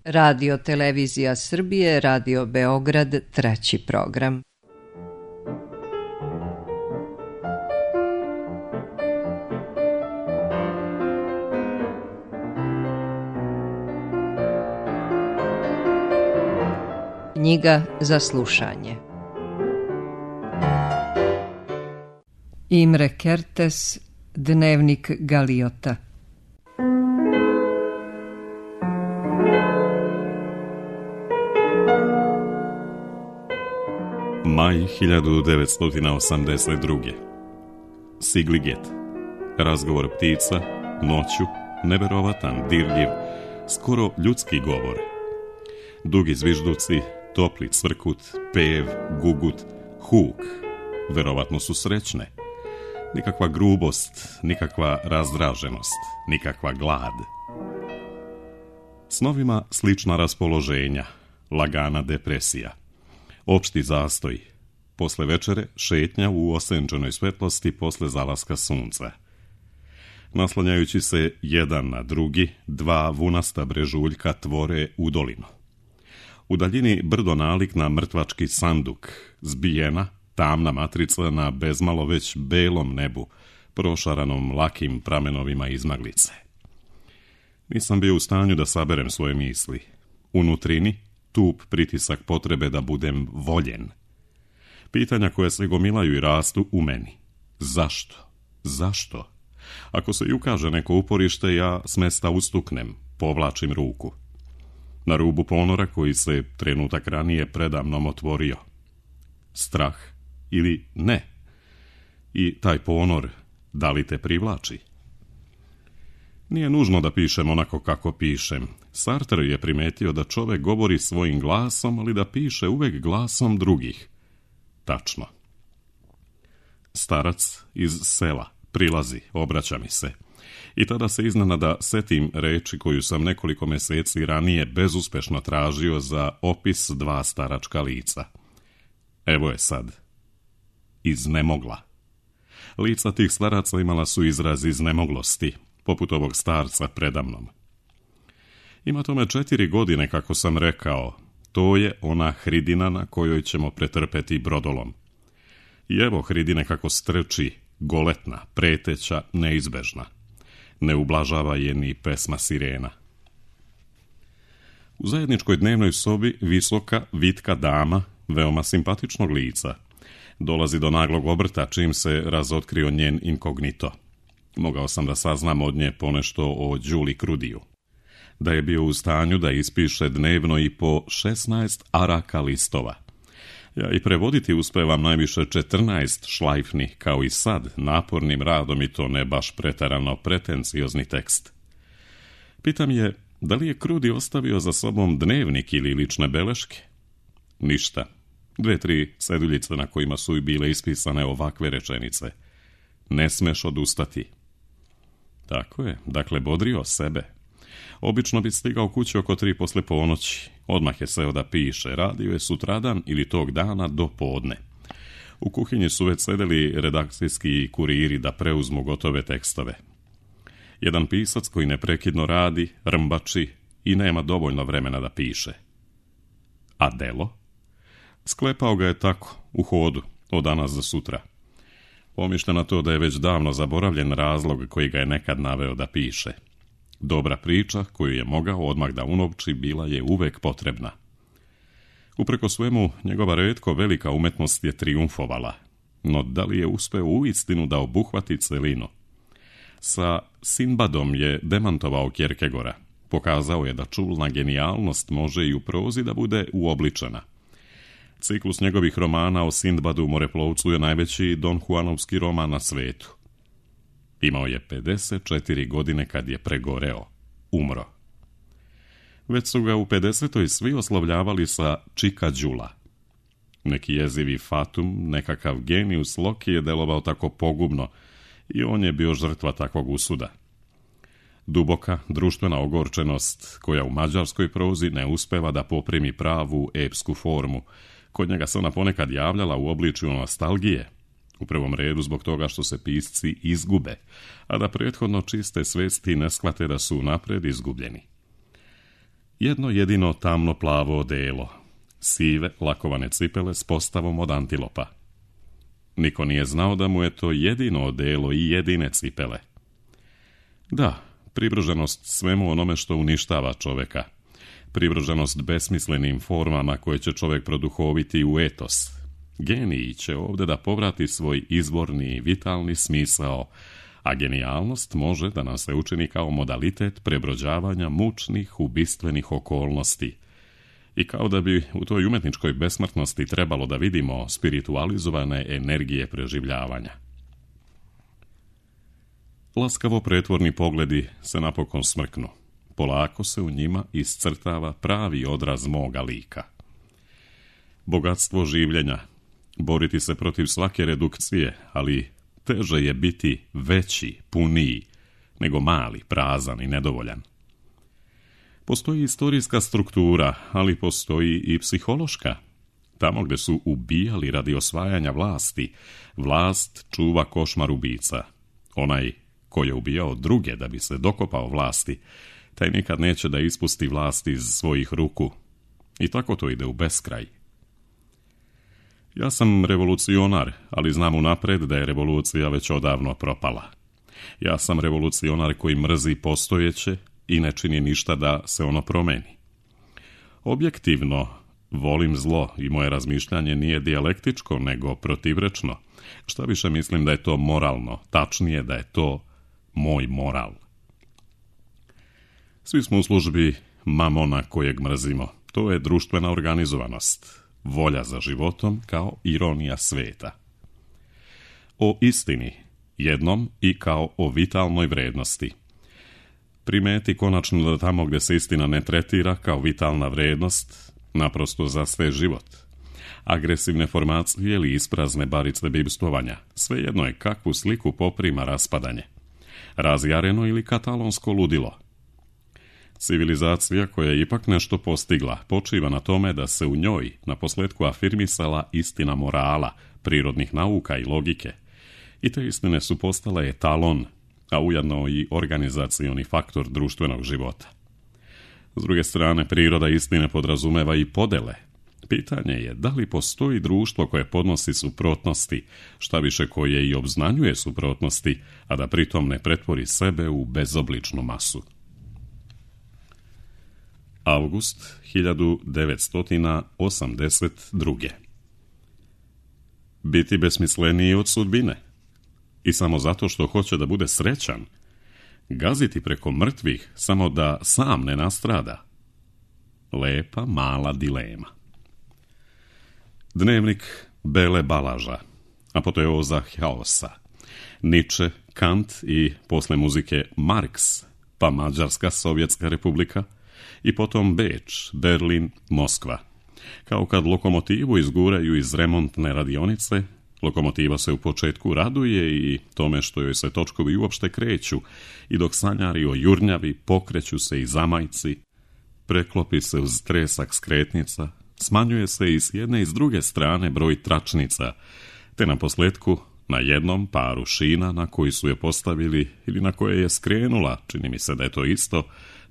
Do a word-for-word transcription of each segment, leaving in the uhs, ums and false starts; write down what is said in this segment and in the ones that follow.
Radio Televizija Srbije, Radio Beograd, treći program. Knjiga za slušanje. Imre Kertész, Dnevnik Galiota. Maj hiljadu devetsto osamdeset druge. Sigliget. Razgovor ptica, noću, neverovatan, dirljiv, skoro ljudski govor. Dugi zvižduci, topli cvrkut, pev, gugut, huk. Verovatno su srećne. Nikakva grubost, nikakva razdraženost, nikakva glad. Snovima slična raspoloženja, lagana depresija. Opšti zastoj. Posle večere šetnja u osenčenoj svetlosti posle zalaska sunca. Naslanjajući se jedan na drugi, dva vunasta brežuljka tvore udolinu. U daljini brdo nalik na mrtvački sanduk, zbijena, tamna matrica na bezmalo već belom nebu, prošaranom lakim pramenovima izmaglice. Nisam bio u stanju da saberem svoje misli. Unutrini, tup pritisak potrebe da budem voljen. Pitanja koje se gomilaju i rastu u meni. Zašto? Zašto? Ako se i ukaže neko uporište, ja s mesta ustuknem, povlačim ruku. Na rubu ponora koji se trenutak ranije predamnom otvorio. Strah ili ne? I taj ponor, da li te privlači? Nije nužno da pišem onako kako pišem. Sartre je primetio da čovek govori svojim glasom, ali da piše uvek glasom drugih. Tačno. Starac iz sela prilazi, obraća mi se. I tada se iznenada setim reči koju sam nekoliko meseci ranije bezuspešno tražio za opis dva staračka lica. Evo je sad. Iznemogla. Lica tih staraca imala su izraz iznemoglosti, poput ovog starca predamnom. Ima tome četiri godine, kako sam rekao, to je ona hridina na kojoj ćemo pretrpeti brodolom. I evo hridine kako strči, goletna, preteća, neizbežna. Ne ublažava je ni pesma sirena. U zajedničkoj dnevnoj sobi visoka, vitka dama, veoma simpatičnog lica, dolazi do naglog obrta čim se razotkrio njen inkognito. Mogao sam da saznam od nje ponešto o Đuli Krudiju. Da je bio u stanju da ispiše dnevno i po šesnaest araka listova. Ja i prevoditi uspevam najviše četrnaest šlajfnih, kao i sad, napornim radom i to ne baš pretarano pretenciozni tekst. Pitam je, da li je Krudi ostavio za sobom dnevnik ili lične beleške? Ništa. Dve, tri seduljice na kojima su i bile ispisane ovakve rečenice. Ne smeš odustati. Tako je, dakle bodrio sebe. Obično bi stigao kući oko tri posle ponoći. Odmah je seo da piše, radio je sutradan ili tog dana do podne. U kuhinji su već sedeli redakcijski kuriri da preuzmu gotove tekstove. Jedan pisac koji neprekidno radi, rmbači i nema dovoljno vremena da piše. A delo? Sklepao ga je tako, u hodu, od danas za sutra. Pomišlja na to da je već davno zaboravljen razlog koji ga je nekad naveo da piše. Dobra priča, koju je mogao odmah da unovči, bila je uvek potrebna. Upreko svemu, njegova retko velika umetnost je trijumfovala, no da li je uspeo uistinu da obuhvati celinu? Sa Sinbadom je demantovao Kierkegaarda. Pokazao je da čulna genijalnost može i u prozi da bude uobličena. Ciklus njegovih romana o Sindbadu moreplovcu je najveći Don Juanovski roman na svetu. Imao je pedeset četiri godine kad je pregoreo, umro. Već su ga u pedesetoj svi oslovljavali sa Čika Đula. Neki jezivi fatum, nekakav genijus Loki je delovao tako pogubno i on je bio žrtva takvog usuda. Duboka društvena ogorčenost, koja u mađarskoj prozi ne uspeva da poprimi pravu epsku formu, kod njega se ona ponekad javljala u obličju nostalgije, u prvom redu zbog toga što se pisci izgube, a da prethodno čiste svesti ne shvate da su napred izgubljeni. Jedno jedino tamno plavo odelo, sive lakovane cipele s postavom od antilopa. Niko nije znao da mu je to jedino odelo i jedine cipele. Da, privrženost svemu onome što uništava čoveka. Privrženost besmislenim formama koje će čovjek produhoviti u etos. Genij će ovdje da povrati svoj izvorni, vitalni smisao, a genijalnost može da nam se učini kao modalitet prebrođavanja mučnih, ubistvenih okolnosti. I kao da bi u toj umetničkoj besmrtnosti trebalo da vidimo spiritualizovane energije preživljavanja. Laskavo pretvorni pogledi se napokon smrknu. Polako se u njima iscrtava pravi odraz moga lika. Bogatstvo življenja, boriti se protiv svake redukcije, ali teže je biti veći, puniji, nego mali, prazan i nedovoljan. Postoji istorijska struktura, ali postoji i psihološka. Tamo gdje su ubijali radi osvajanja vlasti, vlast čuva košmar ubica. Onaj ko je ubijao druge da bi se dokopao vlasti, taj nikad neće da ispusti vlast iz svojih ruku. I tako to ide u beskraj. Ja sam revolucionar, ali znam unapred da je revolucija već odavno propala. Ja sam revolucionar koji mrzi postojeće i ne čini ništa da se ono promeni. Objektivno, volim zlo i moje razmišljanje nije dijalektičko, nego protivrečno. Šta više mislim da je to moralno, tačnije da je to moj moral. Svi smo u službi mamona kojeg mrzimo. To je društvena organizovanost, volja za životom kao ironija sveta. O istini, jednom i kao o vitalnoj vrednosti. Primeti konačno da tamo gdje se istina ne tretira kao vitalna vrednost, naprosto zastaje život. Agresivne formacije ili isprazne barice bibstvovanja, svejedno je kakvu sliku poprima raspadanje. Razjareno ili katalonsko ludilo. Civilizacija koja je ipak nešto postigla počiva na tome da se u njoj na posljedku afirmisala istina morala, prirodnih nauka i logike. I te istine su postale etalon, a ujedno i organizacioni faktor društvenog života. S druge strane, priroda istine podrazumeva i podele. Pitanje je da li postoji društvo koje podnosi suprotnosti, šta više koje i obznanjuje suprotnosti, a da pritom ne pretvori sebe u bezobličnu masu. Avgust hiljadu devetsto osamdeset druge. Biti besmisleniji od sudbine. I samo zato što hoće da bude srećan. Gaziti preko mrtvih samo da sam ne nastrada. Lepa mala dilema. Dnevnik Bele Balaža. Apoteoza haosa. Nietzsche, Kant i posle muzike Marks, pa Mađarska Sovjetska republika i potom Beč, Berlin, Moskva. Kao kad lokomotivu izguraju iz remontne radionice, lokomotiva se u početku raduje i tome što joj se točkovi uopšte kreću i dok sanjari o jurnjavi pokreću se i zamajci, preklopi se uz tresak skretnica, smanjuje se i s jedne i s druge strane broj tračnica, te na posljedku na jednom paru šina na koji su je postavili ili na koje je skrenula, čini mi se da je to isto,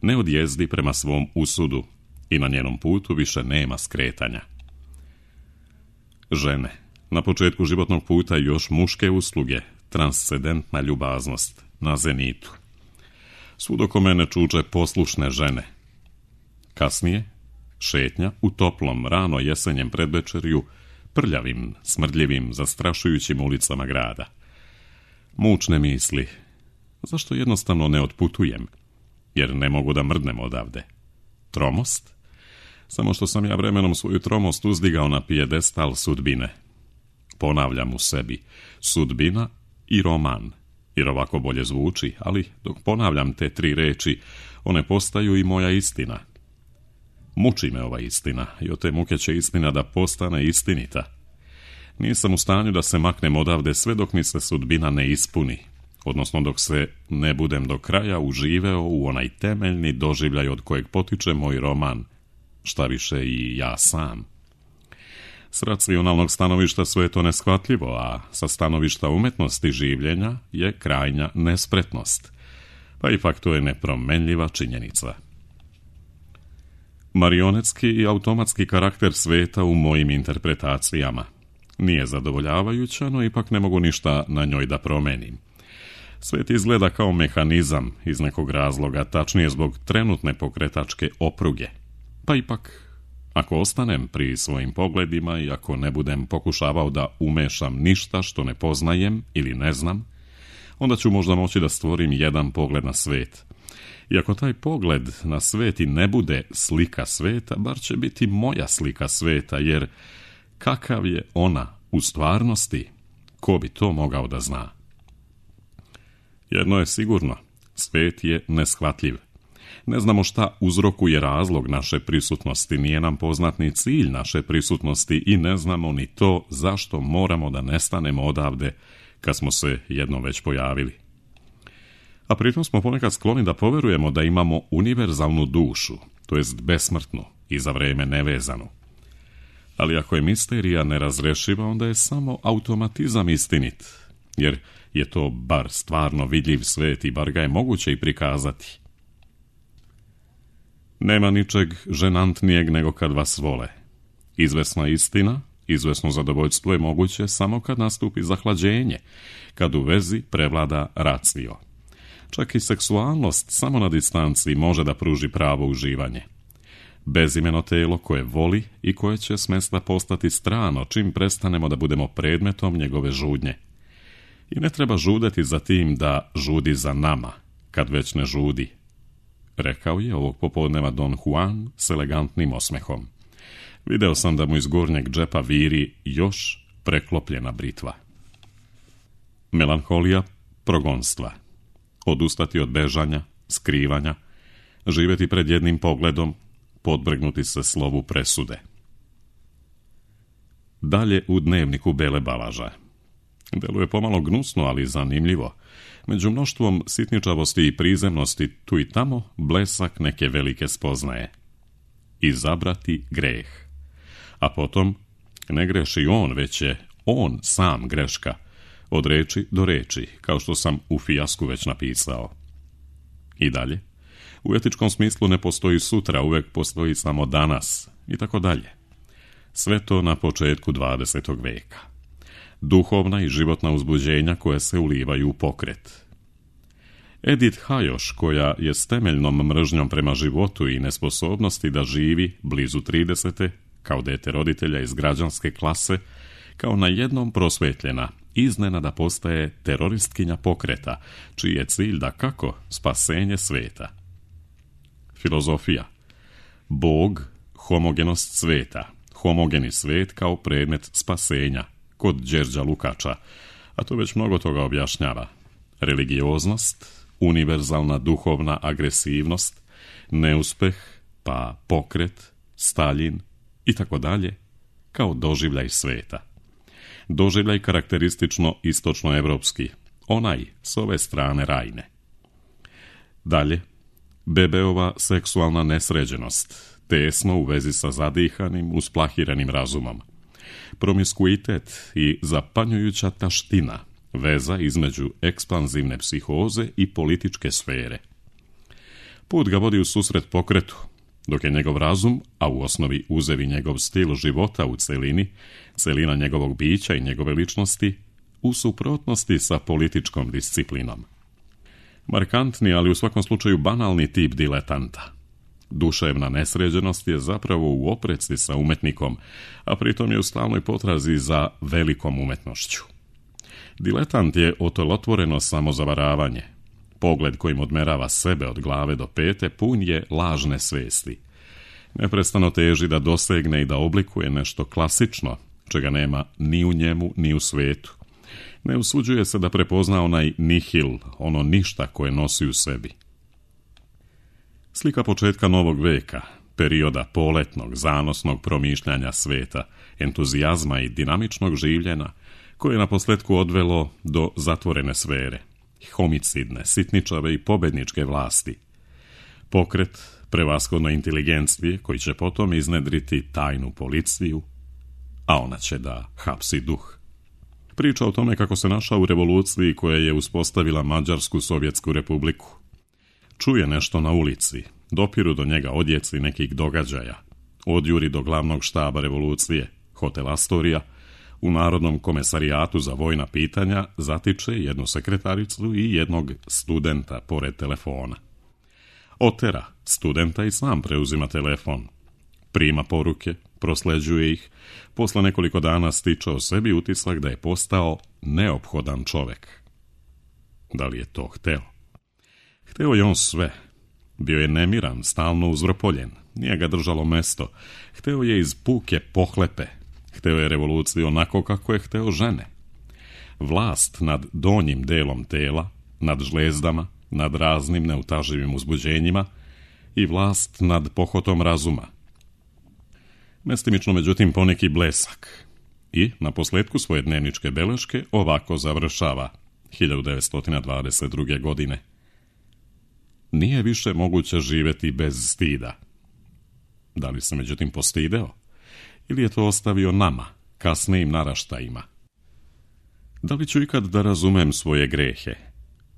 ne odjezdi prema svom usudu i na njenom putu više nema skretanja. Žene, na početku životnog puta još muške usluge, transcendentna ljubaznost, na zenitu. Svud oko mene čuče poslušne žene. Kasnije, šetnja u toplom, rano jesenjem predvečerju, prljavim, smrdljivim, zastrašujućim ulicama grada. Mučne misli. Zašto jednostavno ne otputujem? Jer ne mogu da mrdnem odavde. Tromost? Samo što sam ja vremenom svoju tromost uzdigao na pijedestal sudbine. Ponavljam u sebi, sudbina i roman, jer ovako bolje zvuči, ali dok ponavljam te tri reči, one postaju i moja istina. Muči me ova istina i od te muke će istina da postane istinita. Nisam u stanju da se maknem odavde sve dok mi se sudbina ne ispuni, odnosno dok se ne budem do kraja uživeo u onaj temeljni doživljaj od kojeg potiče moj roman, šta više i ja sam. S racionalnog stanovišta sve je to neshvatljivo, a sa stanovišta umetnosti življenja je krajnja nespretnost. Pa ipak to je nepromenljiva činjenica. Marionetski i automatski karakter sveta u mojim interpretacijama. Nije zadovoljavajuća, no ipak ne mogu ništa na njoj da promenim. Svet izgleda kao mehanizam iz nekog razloga, tačnije zbog trenutne pokretačke opruge. Pa ipak, ako ostanem pri svojim pogledima i ako ne budem pokušavao da umešam ništa što ne poznajem ili ne znam, onda ću možda moći da stvorim jedan pogled na svet. I ako taj pogled na svet i ne bude slika sveta, bar će biti moja slika sveta, jer kakav je ona u stvarnosti, ko bi to mogao da zna? Jedno je sigurno, svet je neshvatljiv. Ne znamo šta uzrokuje razlog naše prisutnosti, nije nam poznat ni cilj naše prisutnosti i ne znamo ni to zašto moramo da nestanemo odavde kad smo se jednom već pojavili. A pritom smo ponekad skloni da poverujemo da imamo univerzalnu dušu, to jest besmrtnu i za vreme nevezanu. Ali ako je misterija nerazrešiva, onda je samo automatizam istinit, jer je to bar stvarno vidljiv svet i bar ga je moguće i prikazati. Nema ničeg ženantnijeg nego kad vas vole. Izvesna istina, izvesno zadovoljstvo je moguće samo kad nastupi zahlađenje, kad u vezi prevlada racio. Čak i seksualnost samo na distanci može da pruži pravo uživanje. Bezimeno telo koje voli i koje će smesta postati strano čim prestanemo da budemo predmetom njegove žudnje. I ne treba žudeti za tim da žudi za nama, kad već ne žudi, rekao je ovog popodneva Don Juan s elegantnim osmehom. Video sam da mu iz gornjeg džepa viri još preklopljena britva. Melanholija progonstva. Odustati od bežanja, skrivanja, živjeti pred jednim pogledom, podvrgnuti se slovu presude. Dalje u dnevniku Bele Balaža. Deluje pomalo gnusno, ali zanimljivo. Među mnoštvom sitničavosti i prizemnosti tu i tamo blesak neke velike spoznaje. Izabrati greh. A potom ne greši on, već je on sam greška. Od reči do reči, kao što sam u Fijasku već napisao. I dalje. U etičkom smislu ne postoji sutra, uvek postoji samo danas. I tako dalje. Sve to na početku dvadesetog veka. Duhovna i životna uzbuđenja koje se ulivaju u pokret. Edith Hajoš, koja je s temeljnom mržnjom prema životu i nesposobnosti da živi blizu tridesete, kao dete roditelja iz građanske klase, kao na jednom prosvetljena, iznenada postaje teroristkinja pokreta, čiji je cilj da kako spasenje sveta. Filozofija. Bog, homogenost sveta, homogeni svet kao predmet spasenja, kod Đerđa Lukača, a to već mnogo toga objašnjava. Religioznost, univerzalna duhovna agresivnost, neuspeh, pa pokret, Staljin i tako dalje, kao doživljaj sveta. Doživljaj karakteristično istočnoevropski, onaj s ove strane Rajne. Dalje, bebeova seksualna nesređenost, tesno u vezi sa zadihanim, usplahiranim razumom. Promiskuitet i zapanjujuća taština, veza između ekspanzivne psihoze i političke sfere. Put ga vodi u susret pokretu, dok je njegov razum, a u osnovi uzevi njegov stil života u celini, celina njegovog bića i njegove ličnosti, u suprotnosti sa političkom disciplinom. Markantni, ali u svakom slučaju banalni tip diletanta. Duševna nesređenost je zapravo u opreci sa umetnikom, a pritom je u stalnoj potrazi za velikom umetnošću. Diletant je otolotvoreno samozavaravanje. Pogled kojim odmerava sebe od glave do pete pun je lažne svesti. Neprestano teži da dosegne i da oblikuje nešto klasično, čega nema ni u njemu ni u svetu. Ne usuđuje se da prepozna onaj nihil, ono ništa koje nosi u sebi. Slika početka novog veka, perioda poletnog, zanosnog promišljanja sveta, entuzijazma i dinamičnog življenja, koje je naposletku odvelo do zatvorene sfere, homicidne, sitničave i pobedničke vlasti. Pokret prevashodno inteligencije koji će potom iznedriti tajnu policiju, a ona će da hapsi duh. Priča o tome kako se našao u revoluciji koja je uspostavila Mađarsku Sovjetsku republiku. Čuje nešto na ulici, dopiru do njega odjeci nekih događaja. Odjuri do glavnog štaba revolucije, hotel Astorija, u Narodnom komesarijatu za vojna pitanja zatiče jednu sekretaricu i jednog studenta pored telefona. Otera studenta i sam preuzima telefon. Prima poruke, prosleđuje ih, posle nekoliko dana stiče o sebi utisak da je postao neophodan čovek. Da li je to hteo? Hteo je on sve. Bio je nemiran, stalno uzvrpoljen, nije ga držalo mesto. Hteo je iz puke pohlepe. Hteo je revoluciju onako kako je hteo žene. Vlast nad donjim delom tela, nad žlezdama, nad raznim neutaživim uzbuđenjima i vlast nad pohotom razuma. Mestimično, međutim, poneki blesak. I, na posledku svoje dnevničke beleške, ovako završava hiljadu devetsto dvadeset druge. godine. Nije više moguće živeti bez stida. Da li se, međutim, postideo? Ili je to ostavio nama, kasnijim naraštajima? Da li ću ikad da razumem svoje grehe?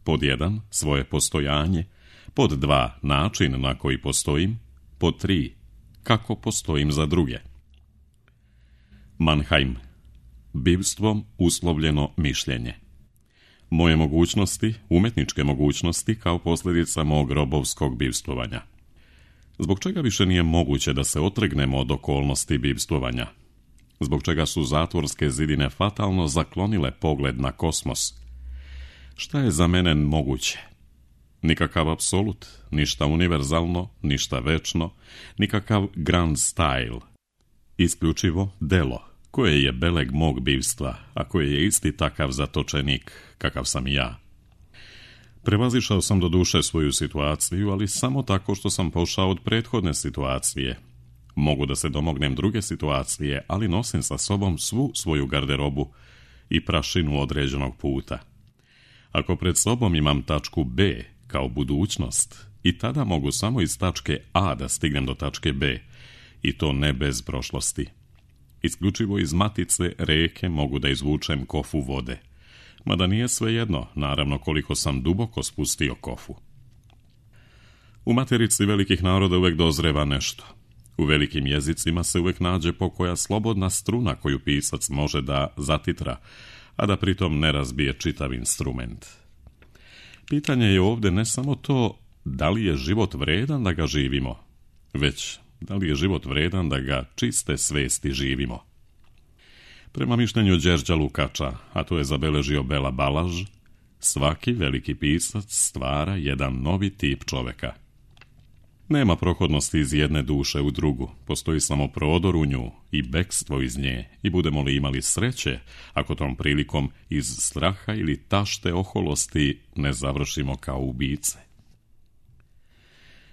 Pod jedan, svoje postojanje. Pod dva, način na koji postojim. Pod tri, kako postojim za druge. Mannheim. Bivstvom uslovljeno mišljenje. Moje mogućnosti, umetničke mogućnosti, kao posljedica mog robovskog bivstvovanja. Zbog čega više nije moguće da se otrgnemo od okolnosti bivstvovanja? Zbog čega su zatvorske zidine fatalno zaklonile pogled na kosmos? Šta je za mene moguće? Nikakav apsolut, ništa univerzalno, ništa večno, nikakav grand style. Isključivo delo, koje je beleg mog bivstva, a koje je isti takav zatočenik, kakav sam i ja. Prevazišao sam do duše svoju situaciju, ali samo tako što sam pošao od prethodne situacije. Mogu da se domognem druge situacije, ali nosim sa sobom svu svoju garderobu i prašinu određenog puta. Ako pred sobom imam tačku B kao budućnost, i tada mogu samo iz tačke A da stignem do tačke B, i to ne bez prošlosti. Isključivo iz matice reke mogu da izvučem kofu vode. Mada nije svejedno, naravno, koliko sam duboko spustio kofu. U materici velikih naroda uvek dozreva nešto. U velikim jezicima se uvek nađe pokoja slobodna struna koju pisac može da zatitra, a da pritom ne razbije čitav instrument. Pitanje je ovde ne samo to da li je život vredan da ga živimo, već da li je život vredan da ga čiste svesti živimo. Prema mišljenju Đerđa Lukača, a to je zabeležio Bela Balaž, svaki veliki pisac stvara jedan novi tip čoveka. Nema prohodnosti iz jedne duše u drugu, postoji samo prodor u nju i bekstvo iz nje, i budemo li imali sreće, ako tom prilikom iz straha ili tašte oholosti ne završimo kao ubice.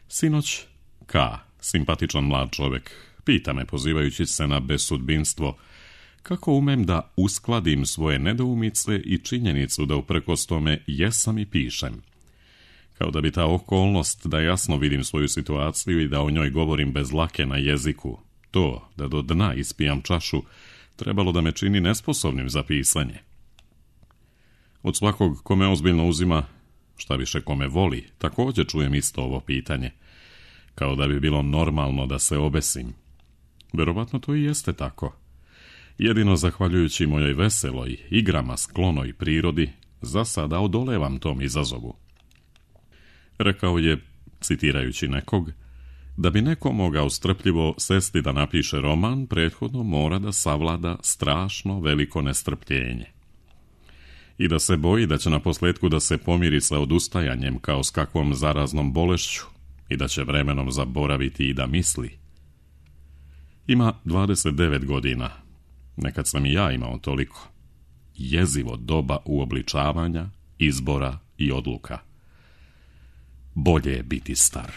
Sinoć K, simpatičan mlad čovek, pita me, pozivajući se na besudbinstvo, kako umem da uskladim svoje nedoumice i činjenicu da uprkos tome jesam i pišem. Kao da bi ta okolnost da jasno vidim svoju situaciju i da o njoj govorim bez lake na jeziku, to da do dna ispijam čašu, trebalo da me čini nesposobnim za pisanje. Od svakog kome ozbiljno uzima, šta više kome voli, također čujem isto ovo pitanje, kao da bi bilo normalno da se obesim. Verovatno to i jeste tako. Jedino zahvaljujući mojoj veseloj, igrama sklonoj prirodi, za sada odolevam tom izazovu. Rekao je, citirajući nekog, da bi neko mogao strpljivo sesti da napiše roman, prethodno mora da savlada strašno veliko nestrpljenje. I da se boji da će na posledku da se pomiri sa odustajanjem kao s kakvom zaraznom bolešću i da će vremenom zaboraviti i da misli. Ima dvadeset devet godina. Nekad sam i ja imao toliko. Jezivo doba uobličavanja, izbora i odluka. Bolje je biti star.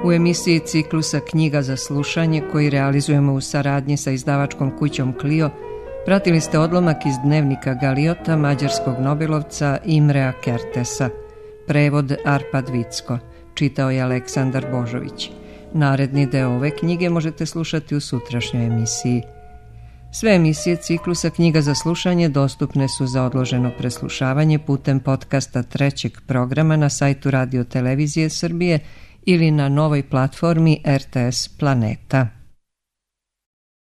U emisiji ciklusa Knjiga za slušanje, koji realizujemo u saradnji sa izdavačkom kućom Clio, pratili ste odlomak iz dnevnika Galiota mađarskog nobelovca Imrea Kertesa. Prevod Arpad Vicko. Čitao je Aleksandar Božović. Naredni deo ove knjige možete slušati u sutrašnjoj emisiji. Sve emisije ciklusa Knjiga za slušanje dostupne su za odloženo preslušavanje putem podcasta trećeg programa na sajtu Radio Televizije Srbije ili na novoj platformi R T S Planeta.